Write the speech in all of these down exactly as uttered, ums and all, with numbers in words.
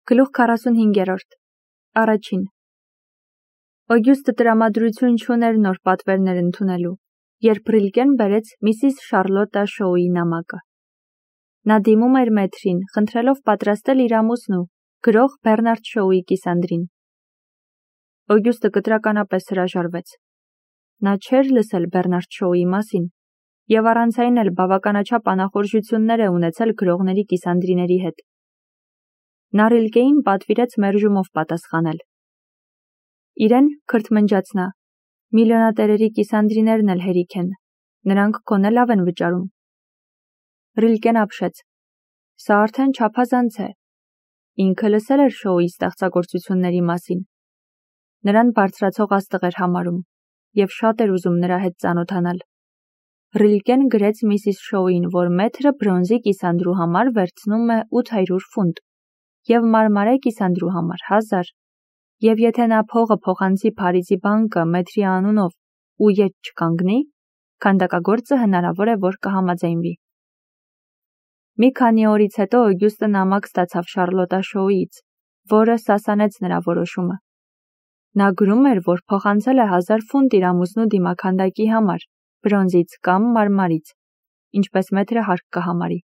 Գլուխ քառասունհինգերորդ Առաջին Օգյուստը տրամադրություն չուներ նոր պատվերներ ընդունելու, երբ Ռիլկեն բերեց միսիս Շարլոտա Շոուի նամակը։ Նա դիմում էր մեթրին, խնդրելով պատրաստել իր ամուսնու, գրող Բեռնարդ Շոուի կիսանդրին։ Օգյուստը կտրականապես հրաժարվեց։ Նա չէր լսել Բեռնարդ Շոուի մասին, եւ առանց այն էլ բավականաչափ անախորժություններ է ունեցել գրողների կիսանդրիների հետ։ Նա Ռիլկեին պատվիրեց մերժումով պատասխանել։ Իրեն քրթմնջաց նա, միլիոնատերերի կիսանդրիներն էլ հերիք են, նրանք քոնե լավ են վճարում։ Ռիլկեն ապշեց. Սա արդեն չափազանց է։ Ինքը լսել էր Շոուի ստեղծագործությունների մասին։ Նրան բարձրացող աստղ էր համարում եւ շատ էր ուզում նրա հետ ծանոթանալ։ Ռիլկեն գրեց միսիս Շոուին, որ մեթրը բրոնզի կիսանդրու համար վերցնում է ութ հարյուր ֆունտ եւ մարմարե կիսանդրու համար հազար, եւ եթե նա փողը փոխանցի Փարիզի բանկը մեթրի անունով ու ետ չկանգնի, քանդակագործը հնարավոր է, որ կհամաձայնվի։ Մի քանի օրից հետո Օգյուստը նամակ ստացավ Շարլոտա Շոուից, որը սասանեց նրա որոշումը։ Նա գրում էր, որ փոխանցել է հազար ֆունտ իր ամուսնու դիմաքանդակի համար, բրոնզից կամ մարմարից, ինչպես մեթրը հարկ կհամարի։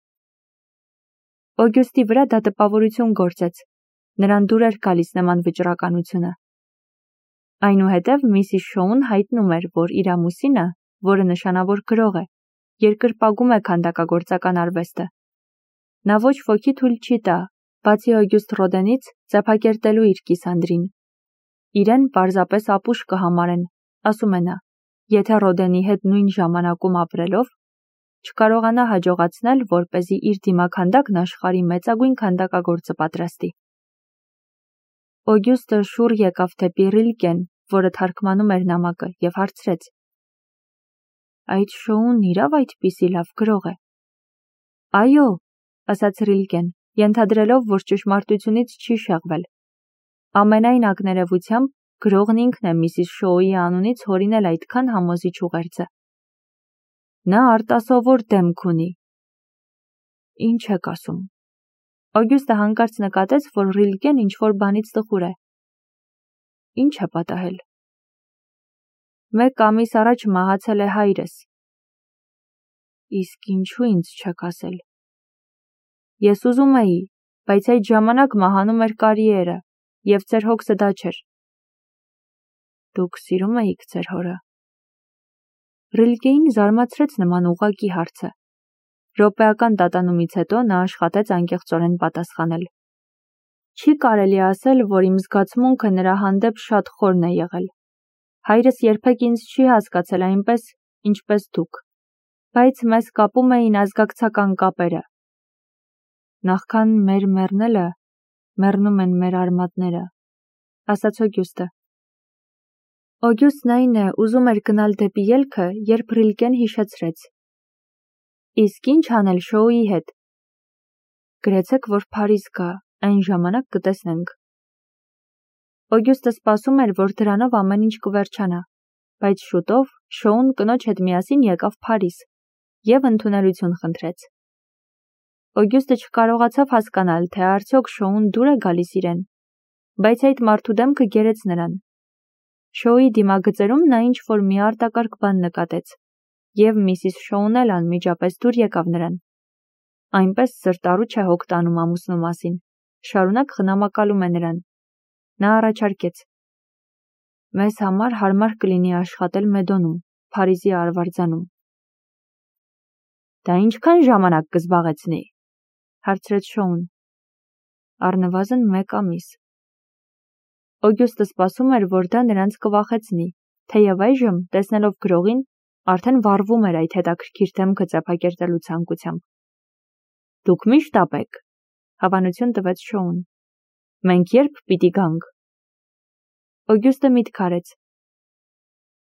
Օգյուստի վրա դա տպավորություն գործեց, նրան դուր էր գալիս նման վճռականությունը։ Այնուհետև միսիս Շոուն հայտնում էր, որ իր ամուսինը, որը նշանավոր գրող է, երկրպագում է քանդակագործական արվեստը։ Նա ոչ ոքի թույլ չի տա, բացի Օգյուստ Ռոդենից, ձեփակերտելու իր կիսանդրին։ Իրեն պարզապես ապուշ կհամարեն, ասում է նա, եթե Ռոդենի հետ նույն ժամանակում ապրելով չկարողանա հաջողացնել, որպեսզի իր դիմաքանդակն աշխարհի մեծագույն քանդակագործը պատրաստի։ Օգյուստը շուռ եկավ դեպի Ռիլկեն, որը թարգմանում էր նամակը, եւ հարցրեց. Այդ Շոուն իրավ այդպիսի լավ գրող է։ Այո, ասաց Ռիլկեն, ենթադրելով, որ ճշմարտությունից չի շեղվել։ Ամենայն ակներևությամբ գրողն ինքն է միսիս Շոուի անունից հորինել այդքան համոզիչ ուղերձը։ Նա արտասովոր դեմք ունի։ Ինչ եք ասում։ Օգյուստը հանկարծ նկատեց, որ Ռիլկեն ինչ-որ բանից տխուր է։ Ինչ է պատահել։ Մեկ ամիս առաջ մահացել է հայրս։ Իսկ ինչու ինձ չեք ասել։ Ես ուզում էի, բայց այդ ժամանակ մահանում էր կարիերը, եւ ձեր հոգսը դա չէր։ Դուք սիրում էիք ձեր հորը։ Ռիլկեին զարմացրեց նման ուղղակի հարցը։ Րոպեական տատանումից հետո նա աշխատեց անկեղծորեն պատասխանել։ Չի կարելի ասել, որ իմ զգացմունքը նրա հանդեպ շատ խորն է եղել։ Հայրս երբեք ինձ չի հասկացել այնպես, ինչպես դուք, բայց մեզ կապում էին ազգակցական կապերը։ Նախքան մեր մեռնելը, մեռնում են մեր արմատները, ասաց Օգյուստը։ Օգյուստն այն է, ուզում էր գնալ դեպի ելքը, երբ Ռիլկեն հիշեցրեց. Իսկ ինչ անել Շոուի հետ։ Գրեցեք, որ Փարիզ գա, այն ժամանակ կտեսնենք։ Օգյուստը սպասում էր, որ դրանով ամեն ինչ կվերջանա, բայց շուտով Շոուն կնոջ հետ միասին եկավ Փարիզ եւ ընդունելություն խնդրեց։ Օգյուստը չկարողացավ հասկանալ, թե արդյոք Շոուն դուր է գալիս իրեն, բայց այդ մարդու դեմքը գերեց նրան։ Շոուի դիմագծերում նա ինչ-որ մի արտակարգ բան նկատեց, եւ միսիս Շոուն էլ անմիջապես դուր եկավ նրան։ Այնպես սրտառուչ է հոգ տանում ամուսնու մասին, շարունակ խնամակալում է նրան։ Նա առաջարկեց. Մեզ համար հարմար կլինի աշխատել Մեդոնում, Փարիզի արվարձանում։ Դա ինչքան ժամանակ կզբաղեցնի, հարցրեց Շոուն։ Առնվազն մեկ ամիս։ Օգյուստը սպասում էր, որ դա նրանց կվախեցնի, թեև այժմ, տեսնելով գրողին, արդեն վառվում էր այդ հետաքրքիր դեմքը ձեփակերտելու ցանկությամբ։ Դուք միշտ ապեք, հավանություն տվեց Շոուն։ Մենք երբ պիտի գանք։ Օգյուստը միտք արեց։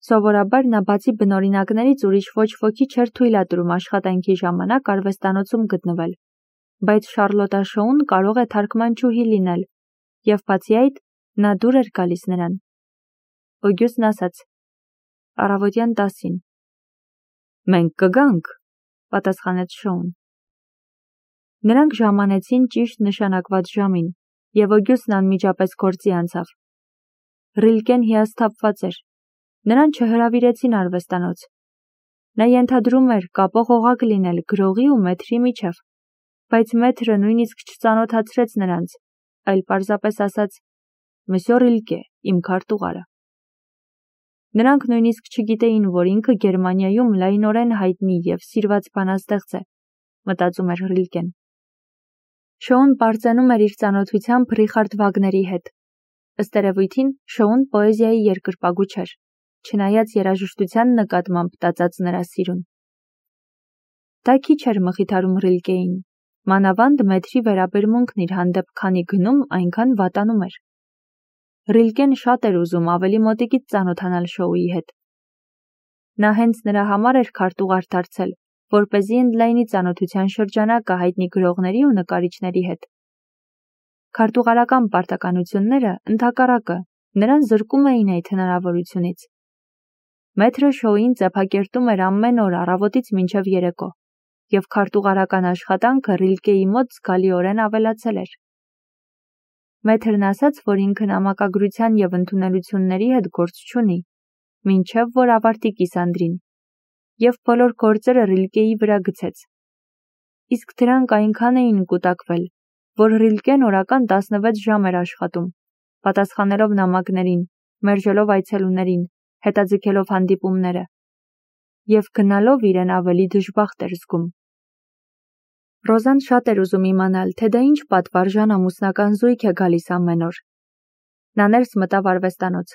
Սովորաբար նա բացի բնօրինակներից ուրիշ ոչ ոքի չէր թույլատրում աշխատանքի ժամանակ արվեստանոցում գտնվել, բայց Շարլոտա Շոուն կարող է թարգմանչուհի լինել, եւ բացի այդ, նա դուր էր գալիս նրան։ Օգյուստն ասաց. Առավոտյան տասին։ Մենք կգանք, պատասխանեց Շոուն։ Նրանք ժամանեցին ճիշտ նշանակված ժամին, եւ Օգյուստն անմիջապես գործի անցավ։ Ռիլկեն հիասթափված էր։ Նրան չհրավիրեցին արվեստանոց։ Նա ենթադրում էր կապող օղակ լինել գրողի ու մեթրի միջև, բայց մեթրը նույնիսկ չծանոթացրեց նրանց, այլ պարզապես ասաց. «Մսյո Ռիլկե, իմ քարտուղարը»։ Նրանք նույնիսկ չգիտեին, որ ինքը Գերմանիայում լայնորեն հայտնի եւ սիրված բանաստեղծ է, մտածում էր Ռիլկեն։ Շոուն պարծենում էր իր ծանոթությամբ Ռիխարդ Վագների հետ։ Ըստ երևույթին, Շոուն պոեզիայի երկրպագու չէր, չնայած երաժշտության նկատմամբ տածած նրա սիրուն։ Դա քիչ էր մխիթարում Ռիլկեին, մանավանդ մեթրի վերաբերմունքն իր հանդեպ քանի գնում, այնքան վատանում էր։ Ռիլկեն շատ էր ուզում ավելի մոտիկից ծանոթանալ Շոուի հետ։ Նա հենց նրա համար էր քարտուղար դարձել, որպեսզի ընդլայնի ծանոթության շրջանակը հայտնի գրողների ու նկարիչների հետ։ Քարտուղարական պարտականությունները, ընդհակառակը, նրան զրկում էին այդ հնարավորությունից։ Մեթրը Շոուին ծեփակերտում էր ամեն օր առավոտից մինչև երեկո, եւ քարտուղարական աշխատանքը Ռիլկեի մոտ զգալիորեն ավելացել էր։ Մեթրն ասաց, որ ինքը նամակագրության եւ ընդունելությունների հետ գործ չունի, մինչև որ ավարտի կիսանդրին, եւ բոլոր գործերը Ռիլկեի վրա գցեց։ Իսկ դրանք այնքան էին կուտակվել, որ Ռիլկեն օրական տասնվեց ժամ էր աշխատում, պատասխանելով նամակներին, մերժելով այցելուներին, հետաձգելով հանդիպումները, եւ գնալով իրեն ավելի դժբախտ էր զգում։ Ռոզան շատ էր ուզում իմանալ, թե դա ինչ պատվարժան ամուսնական զույգ է գալիս ամեն օր։ Նա ներս մտավ արվեստանոց։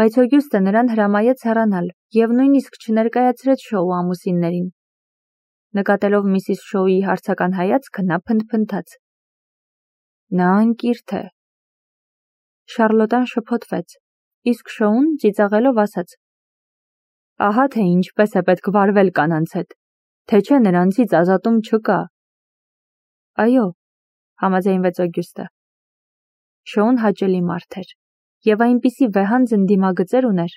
Բայց Օգյուստը նրան հրամայեց հեռանալ եւ նույնիսկ չներկայացրեց Շոու ամուսիններին։ Նկատելով միսիս Շոուի հարցական հայացքը, նա փնթփնթաց. «Նա անկիրթ է»։ Շարլոտան շփոթվեց, իսկ Շոուն ծիծաղելով ասաց. «Ահա թե ինչպես է պետք վարվել կանանց հետ, թե չէ նրանցից ազատում չկա»։ Այո, համաձայնվեց Օգյուստը։ Շոուն հաճելի մարդ էր եւ այնպիսի վեհանձն դիմագծեր ուներ։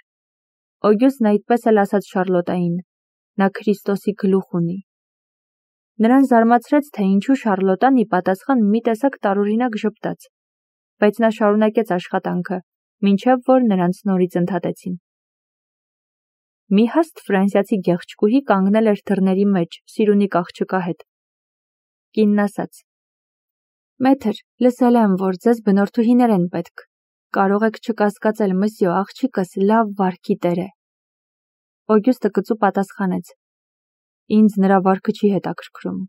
Օգյուստն այդպես էլ ասաց Շարլոտային. նա Քրիստոսի գլուխ ունի։ Նրան զարմացրեց, թե ինչու Շարլոտան ի պատասխան մի տեսակ տարօրինակ ժպտաց, բայց նա շարունակեց աշխատանքը, մինչև որ նրանց նորից ընդհատեցին։ Մի հաստ ֆրանսիացի գեղեցկուհի կանգնել էր դռների մեջ, սիրունիկ աղջկա հետ։ Կինն ասաց. «Մեթր, լսել եմ, որ ձեզ բնորդուհիներ են պետք։ Կարող եք չկասկածել, մսյո, աղջիկս լավ վարքի տեր է»։ Օգյուստը կծու պատասխանեց. «Ինձ նրա վարքը չի հետաքրքրում,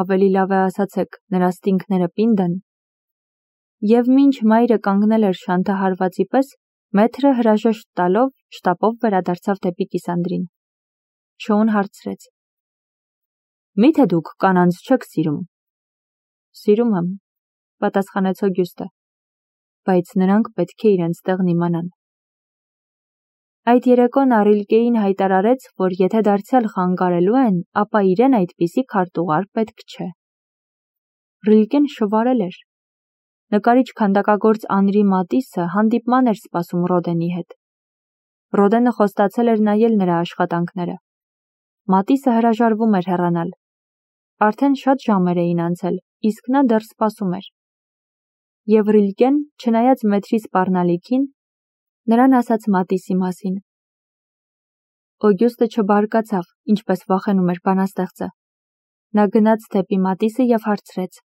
ավելի լավ է ասացեք, նրա ստինքները պինդ են»։ Եվ մինչ մայրը կանգնել էր շանթահարվածի պես, մեթրը հրաժեշտ տալով շտապով վերադարձավ դեպի կիսանդրին։ Շոուն հարցրեց. «Միթե դուք կանանց չեք սիրում»։ «Սիրում եմ», պատասխանեց Օգյուստը, «բայց նրանք պետք է իրենց տեղն իմանան»։ Այդ երեկո նա Ռիլկեին հայտարարեց, որ եթե դարձյալ խանգարելու են, ապա իրեն այդպիսի քարտուղար պետք չէ։ Ռիլկեն շվարել էր։ Նկարիչ-քանդակագործ Անրի Մատիսը հանդիպման էր սպասում Ռոդենի հետ։ Ռոդենը խոստացել էր նայել նրա աշխատանքները։ Մատիսը հրաժարվում էր հեռանալ։ Արդեն շատ ժամեր էին անցել, իսկ նա դեռ սպասում էր։ Եվ Ռիլկեն, չնայած մեթրի սպառնալիքին, նրան ասաց Մատիսի մասին։ Օգյուստը չբարկացավ, ինչպես վախենում էր բանաստեղծը։ Նա գնաց դեպի Մատիսը եւ հարցրեց.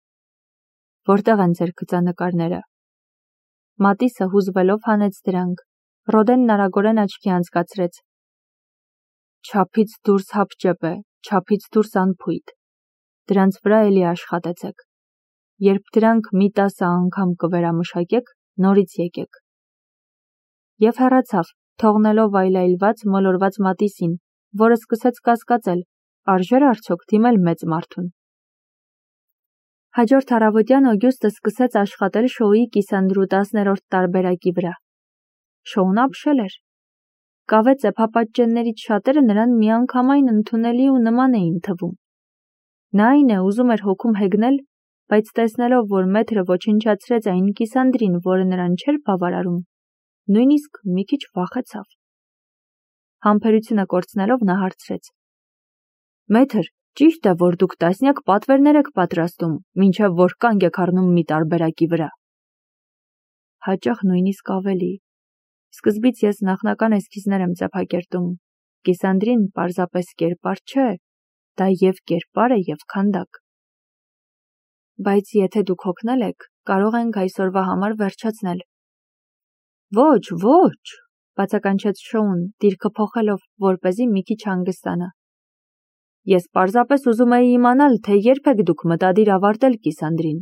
«Որտեղ են ձեր գծանկարները»։ Մատիսը հուզվելով հանեց դրանք։ Ռոդենն արագորեն աչքի անցկացրեց. «Չափից դուրս հապճեպ է, չափից դուրս անփույթ։ Դրանց վրա էլի աշխատեցեք։ Երբ դրանք մի տասը անգամ կվերամշակեք, նորից եկեք»։ Եվ հեռացավ, թողնելով այլայլված մոլորված Մատիսին, որը սկսեց կասկածել, արժե՞ր արդյոք դիմել մեծ մարդուն։ Հաջորդ առավոտյան Օգյուստը սկսեց աշխատել Շոուի կիսանդրու տասներորդ տարբերակի վրա։ Շոուն ապշել էր։ Կավե ծեփապատճեններից շատերը նրան միանգամայն ընդունելի ու նման էին թվում։ Նա այն է ուզում էր հոգում հեգնել, բայց տեսնելով, որ մեթրը ոչնչացրեց այն կիսանդրին, որը նրան չէր բավարարում, նույնիսկ մի քիչ վախեցավ։ Համբերությունը կորցնելով նա հարցրեց. «Մեթր, ճիշտ է, որ դուք տասնյակ պատվերներ եք պատրաստում, մինչև որ կանգ եք առնում մի տարբերակի վրա»։ հաճախ նույնիսկ ավելի։ Սկզբից ես նախնական էսքիզներ եմ ձևակերտում, Կիսանդրին պարզապես կերպար չէ, դա և կերպար է և քանդակ։ Բայց եթե դուք հոգնել եք, կարող ենք այսօրվա համար վերջացնել։ Ոչ, ոչ, բացականչեց Շոուն, դիրքը փոխելով, որպեսզի մի քիչ հանգստանա։ Ես պարզապես ուզում էի իմանալ, թե երբ եք դուք մտադիր ավարտել Կիսանդրին։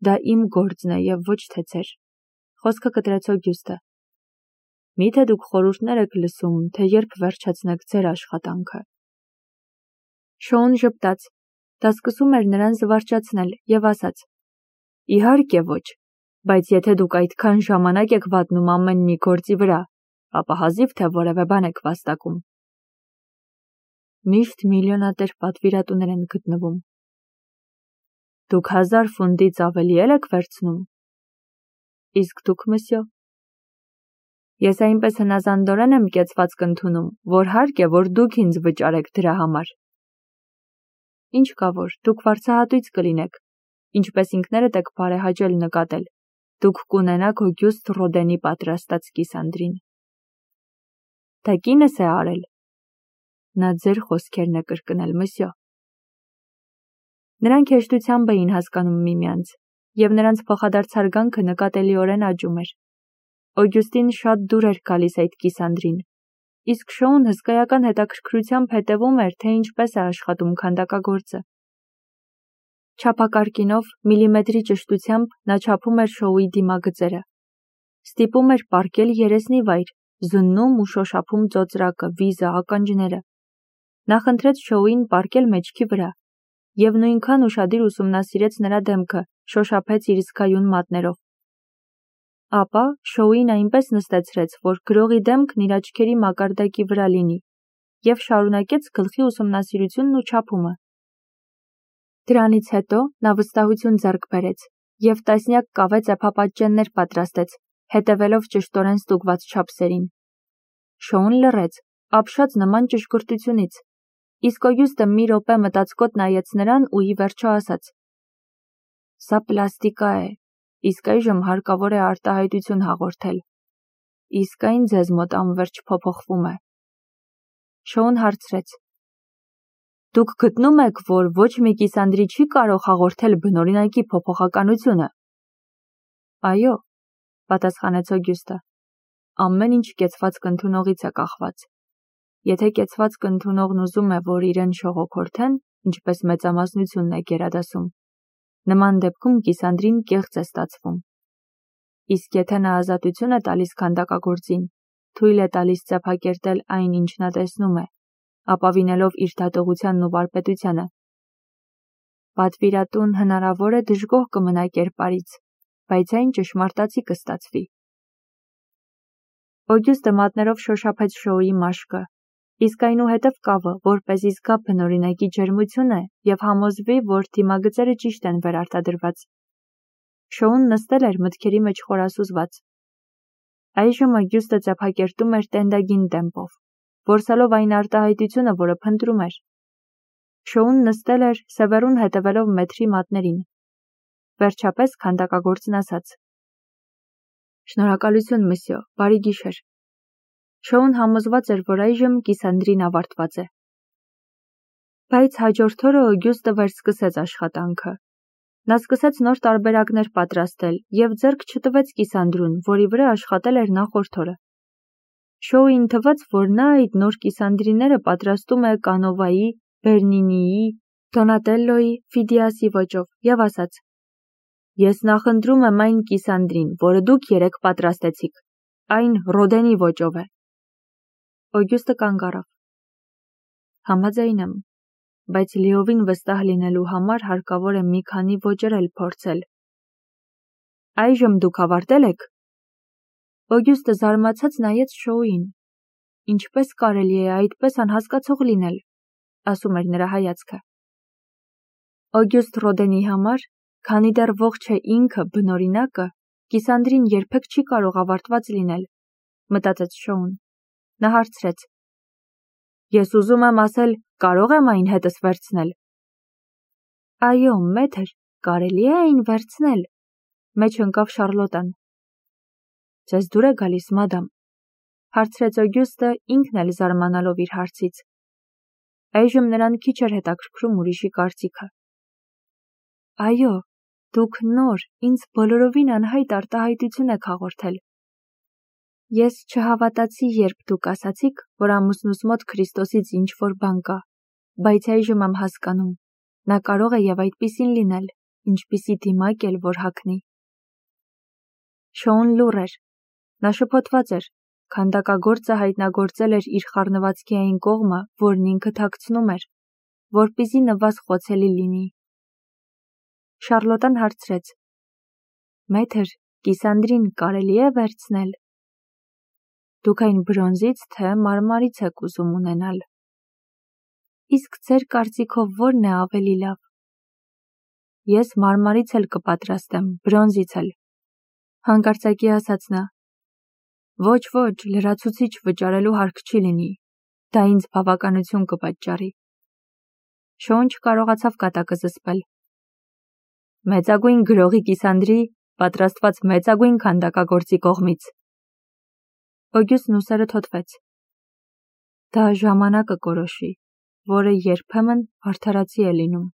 Դա իմ գործն է և ոչ թե ձեր, խոսքը կտրեց Օգյուստը։ Միթե դուք խորհուրդներ եք լսում, թե երբ վերջացնեք ձեր աշխատանքը։ Շոուն ժպտաց, դա սկսում էր նրան զվարճացնել և ասաց. Իհարկե ոչ, բայց եթե դուք այդքան ժամանակ եք վատնում ամեն մի գործի վրա, ապա հազիվ թե որևէ բան եք վաստակում։ Միշտ միլիոնատեր պատվիրատուներ են գտնվում։ Դուք հազար ֆունդից ավելի էլ եք վերցնում։ Իսկ դուք, մսյո։ Ես այնպես հնազանդորեն եմ կեցվածք ընդունում, որ հարկ է, որ դուք ինձ վճարեք դրա համար։ Ինչ կա որ, դուք վարձահատույց կլինեք, ինչպես ինքներդ եք բարեհաճել նկատել, դուք կունենաք Օգյուստ Ռոդենի պատրաստած Կիսանդրին։ Դա կինս է արել։ Նա ձեր խոսքերն է կրկնել, մսյո։ Նրանք հեշտությամբ էին հասկանում միմյանց, և նրանց փոխադարձ հարգանքը նկատելիորեն աճում էր։ Օգյուստին շատ դուր էր գալիս այդ Կիսանդրին, իսկ Շոուն հսկայական հետաքրքրությամբ հետևում էր, թե ինչպես է աշխատում քանդակագործը։ Չափակարկինով, միլիմետրի ճշտությամբ նա չափում էր Շոուի դիմագծերը։ Ստիպում էր պառկել երեսնի վայր, զննում ու շոշափում ծոծրակը, վիզը, ականջները։ Նա խնդրեց Շոուին պառկել մեջքի վրա, և նույնքան ուշադիր ուսումնասիրեց նրա դեմքը, շոշափեց իր զգայուն մատներով։ Ապա Շոուին այնպես նստեցրեց, որ գրողի դեմքն իր աչքերի մակարդակի վրա լինի, և շարունակեց գլխի ուսումնասիրությունն ու չափումը։ Դրանից հետո նա վստահություն ձեռք բերեց և տասնյակ կավե ծեփապատճեններ պատրաստեց, հետևելով ճշտորեն ստուգված չափսերին։ Շոուն լռեց, ապշած նման ճշգրտությունից, իսկ Օգյուստը մի րոպե մտածկոտ նայեց նրան ու ի վերջո ասաց. Սա պլաստիկա է, իսկ այժմ հարկավոր է արտահայտություն հաղորդել։ Իսկ այն ձեզ մոտ անվերջ փոփոխվում է։ Շոուն հարցրեց. Դուք գտնում եք, որ ոչ մի Կիսանդրի չի կարող հաղորդել բնօրինակի փոփոխականությունը։ Այո, պատասխանեց Օգյուստը, ամեն ինչ կեցվածք ընդունողից է կախված։ Եթե կեցվածք ընդունողն ուզում է, որ իրեն շողոքորթեն, ինչպես մեծամասնությունն է գերադասում, նման դեպքում Կիսանդրին կեղծ է ստացվում։ Իսկ եթե նա ազատություն է տալիս քանդակագործին, թույլ է տալիս ծեփակերտել այն, ինչ նա տեսնում է, ապավինելով իր դատողությանն ու վարպետությանը, պատվիրատուն հնարավոր է դժգոհ կմնա կերպարից, բայց այն ճշմարտացի կստացվի։ Օգյուստը մատներով շոշափեց Շոուի մաշկը, իսկ այնուհետև կավը, որպեսզի զգա բնօրինակի ջերմությունը և համոզվի, որ դիմագծերը ճիշտ են վերարտադրված։ Շոուն նստել էր մտքերի մեջ խորասուզված։ Այժմ Օգյուստը ծեփակերտում էր տենդագին տեմպով, որսալով այն արտահայտությունը, որը փնտրում էր։ Շոուն նստել էր, սևեռուն հետևելով մեթրի մատներին։ Վերջապես քանդակագործն ասաց. Շնորհակալություն, մսյո, բարի գիշեր։ Շոուն համոզված էր, որ այժմ Կիսանդրին ավարտված է։ Բայց հաջորդ օրը Օգյուստը վերսկսեց աշխատանքը։ Նա սկսեց նոր տարբերակներ պատրաստել և ձեռք չտվեց Կիսանդրուն, որի վրա աշխատել էր նախորդ օրը։ Շոուին թվաց, որ նա այդ նոր Կիսանդրիները պատրաստում է Կանովայի, Բեռնինիի, Դոնատելլոյի, Ֆիդիասի ոճով և ասաց. Ես նախընտրում եմ այն Կիսանդրին, որը դուք երեկ պատրաստեցիք, այն Ռոդենի ոճով է։ Օգյուստը կանգ առավ։ Համաձայն եմ, բայց լիովին վստահ լինելու համար հարկավոր է մի քանի ոճեր էլ փորձել։ Այժմ դուք ավարտել եք։ Օգյուստը զարմացած նայեց Շոուին։ Ինչպես կարելի է այդպես անհասկացող լինել, ասում էր նրա հայացքը։ Օգյուստ Ռոդենի համար, քանի դեռ ողջ է ինքը բնօրինակը, Կիսանդրին երբեք չի կարող ավարտված լինել, մտածեց Շոուն։ Նա հարցրեց. Ես ուզում եմ ասել, կարող եմ այն հետս վերցնել։ Այո, մեթր, կարելի է այն վերցնել։ Մեջ ընկավ Շարլոտան։ Ձեզ դուր է գալիս, մադամ, հարցրեց Օգյուստը ինքն էլ զարմանալով իր հարցից։ Այժմ նրան քիչ էր հետաքրքրում ուրիշի կարծիքը։ Այո, դուք նոր, ինձ բոլորովին անհայտ արտահայտություն եք հաղորդել։ Ես չհավատացի, երբ դուք ասացիք, որ ամուսնուս մոտ Քրիստոսից ինչ-որ բան կա, բայց այժմ եմ հասկանում, նա կարող է և այդպիսին լինել, ինչպիսի դիմակ էլ որ հագնի։ Շոուն լուռ էր, նա շփոթված էր, քանդակագործը հայտնագործել էր իր խառնվածքի այն կողմը, որն ինքը թաքցնում էր, որպեսզի նվազ խոցելի լինի։ Շարլոտան հարցրեց. Մեթր, կիսանդրին կարելի է վերցնել։ Դուք այն բրոնզից, թե մարմարից եք ուզում ունենալ։ Իսկ ձեր կարծիքով որն է ավելի լավ։ Ես մարմարից էլ կպատրաստեմ, բրոնզից էլ։ Հանկարծակի ասաց նա. Ոչ, ոչ, լրացուցիչ վճարելու հարկ չի լինի, դա ինձ բավականություն կպատճառի։ Շոուն չկարողացավ կատակը զսպել։ Մեծագույն գրողի կիսանդրի, պատրաստված մեծագույն քանդակագործի կողմից։ Օգյուստն ուսերը թոթվեց։ Դա ժամանակը կորոշի, որը երբեմն արդարացի է լինում։